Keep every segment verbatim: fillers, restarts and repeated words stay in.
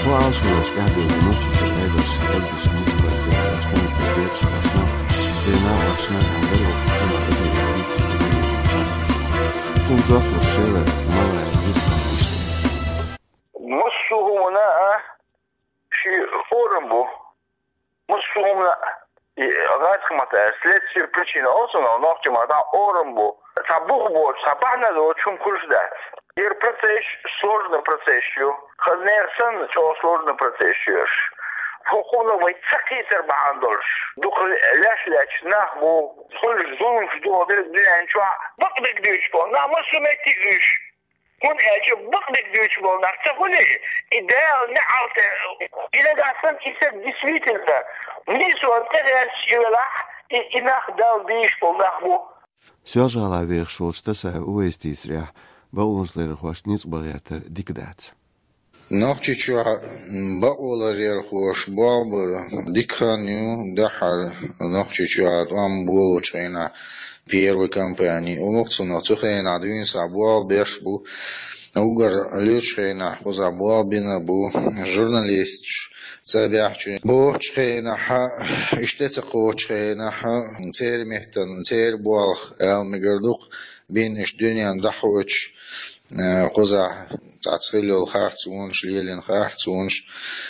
Ваалшураш тӀаьхьадевлла нохчийчуьра Ӏедалш, Ӏедалш ницкъ баьлла, оцу хӀуманна кхеташ башна, дена башна, хьан дара ваха хӀума эдем дийца хӀума. Цунна жоп луш шела малай ницкъ баьлла иштта. Массо а хӀумана а ши орам бу. Массо а хӀумана а, и, гӀазкхий маттахь, следствие, причина олу цунах, нохчийн маттахь орам бу. Цхьа бух боцуш, цхьа бахьана доцуш хӀума хуьлуш дац. ХӀара процесс сложный процесс ю. Хаза нехан санна, чӀогӀа сложный процесс ю уьш. ХӀокхунах вай ца кхетар бахьана долуш, дукха леш лаьтташ нах бу, хуьлуш зуламаш ду хӀокху дуьнен чохь, бакъдерг дуьйцуш болу нах массо а меттиг уьш. ХӀунда аьлча бакъдерг дуьйцуш болу нах ца хуьлий, и Дала неӀалт, и нагахь санна и стаг действительно нийсонан тӀе гӀерташ и велахь, и, и нах Далла дийш болу нах бу. Соьлжа-ГӀалахь вехаш волчу Тасаев Увайса дийцарехь, бакъонашларъярхошна ницкъ бан гӀертар дика дац. Нохчийчохь бакъоларъярхоша болх бар дика хан ю, дуьххьара Нохчийчохь тӀом болучу хенахь первый кампани. Оха цунах цу хенахь дуьйна схьа болх беш бу, уггар луьрачу хенахь кхузахь болх бина бу, журналисташ ца баьхча, боцучу хенахь, уьш тӀе ца кхочучу хенахь, церан меттана, церан болх ала мегар ду-кх, бина уьш дуьненна дӀахоуьйтуш, э, кхузахь цхьацца хилла йолу харцонаш, лелийна харцонаш,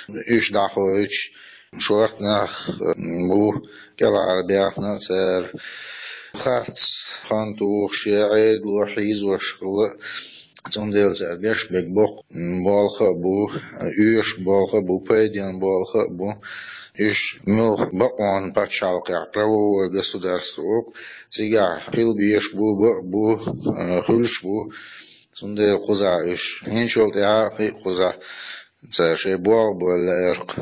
уьш дӀахоуьйтуш, шорта нах, э, бу кӀелхьара баьхна цара. Харц хан тухуш я Ӏедало хьийзош хилла, цундела цара беш берг боккха болх а бу, оьшуш болх а бу, пайденна болх а бу. Уьш муьлхха бакъонан пачхьалкхехь, правовое государство ву-кх, цигахь хила безаш бу, бакъ бу, а, хуьлуш бу. Цундела кхузахь уьш хӀинцачул тӀаьхьа а кхин а кхузахь цара шайн болх бан лаьара-кх.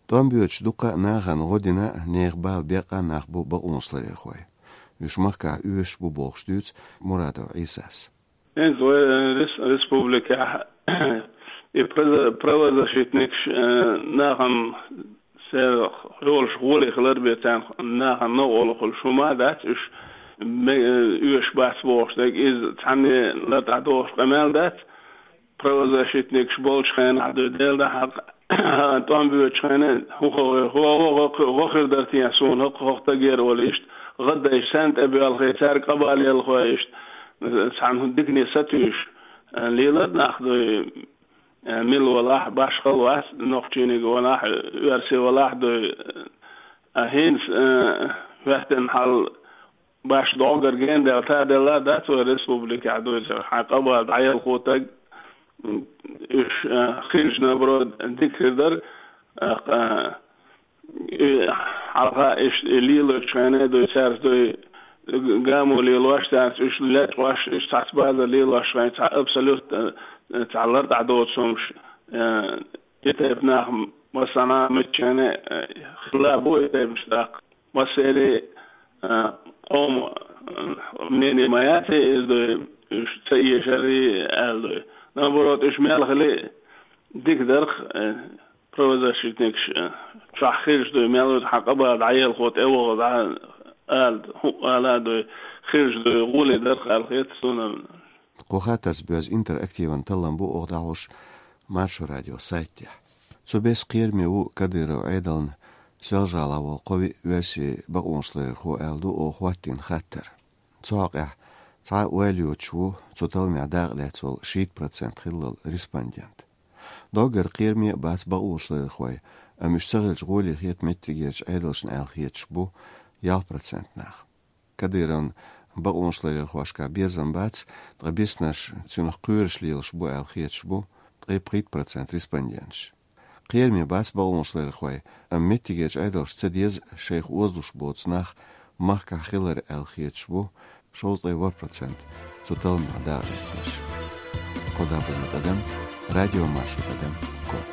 ТӀом боьдуш дуккха а нахана гӀо дина а, нехан бала беккъа а нах бу бакъонашларъярхой. Уьш махкахь оьшуш бу бохуш дуьйцу Мурадов Ӏийсас. ХӀинца вай, э, рес-, республикехь и проза-, правозащитникаш, э, нахана церан хьолаш гӀоле хилар бен, царна нахана новкъарло хуьлуш хӀума а дац, уьш ме-, э, оьшуш бац бохуш дерг, иза цхьанне лартӀахь дохуш къамел дац. Правозащитникаш болчу хенахь дуй, Дела дан хьакъ, тӀом боьдучу хенахь, хӀун хо-, хо-, хо-, хо-, хо хир дара те суна, хӀокху, хӀокху стагера олу иштта, гӀаддайша санна тӀебоьлхий, цаьрга къа бала елхой иштта, цхьана дикане сатуьйсуш, лелар нах дуй, мила валахь, башхалла вац, нохчийниг валахь, оьрси валахь дуй, а хӀинца, а, хӀоьттина хьал, баш догӀур генадел таделла дац вай республикехь дуй цара. Хьайн къа бала дӀаелхо стаг, уьш, а, хилча, наоборот, дика хир дара, а, а, и, хьалха иштта и лелочу хенахь дуй цаьрца дуй, гамо лелош цаьрца, уьш лечкъош, уьш цхьацца базар лелош хенахь, цхьа абсолютно, а, цхьа лартӀахь доцу хӀумаш, а, и тайпа нах массанхьа миччахьа, а, хилла бу и тайпанаш тӀаккха. Массеран, а, къоман, а, мнение ма яц иза дуй, уьш ца эшарий аьлла дуй. Наоборот, уьш мел хили дика дарх, а, правозащитникаш, а, чохь хилча дуй, мел ву хьан къа бала дӀаелхо тӀевогӀу дӀа ала, хӀуъа ала дуй, хилча дуй, гӀоле дарх аьлла хета суна. Кху хаттарца боьзна интерактиван таллам бу оха дӀахьош Маршо радион сайтехь. Цу бесса кхераме ву Кадыров Ӏедална Соьлжа-ГӀалахь волу кхо-виъ оьрсийн бакъонашларъярхо аьлла ду оха хӀоттийна хаттар. Цу хьокъехь цхьа а ойла йоцуш ву цу талламехь дакъа лаьцна волу шийтта процент хиллал респондент. Доггара кхераме а бац бакъонашларъярхой, амма уьш ца хилча гӀоле хета меттигерчу Ӏедалшна аьлла хеташ бу ялх процент нах. Кадыровн бакъонашларъярхошкахь безам бац, ткъа биснарш цуьнах кхоьруш лелаш бу аьлла хеташ бу ткъе пхийтта процент респонденташ. Кхераме бац бакъонашларъярхой, амма меттигерчу Ӏедалша ца деза шайх озалуш боцу нах махкахь хилар аьлла хеташ бу шовзткъе ворхӀ процент цу талламехь дакъа лаьцнарш. Кхо даббана тӀадам, радиомаршо тӀадам, ком.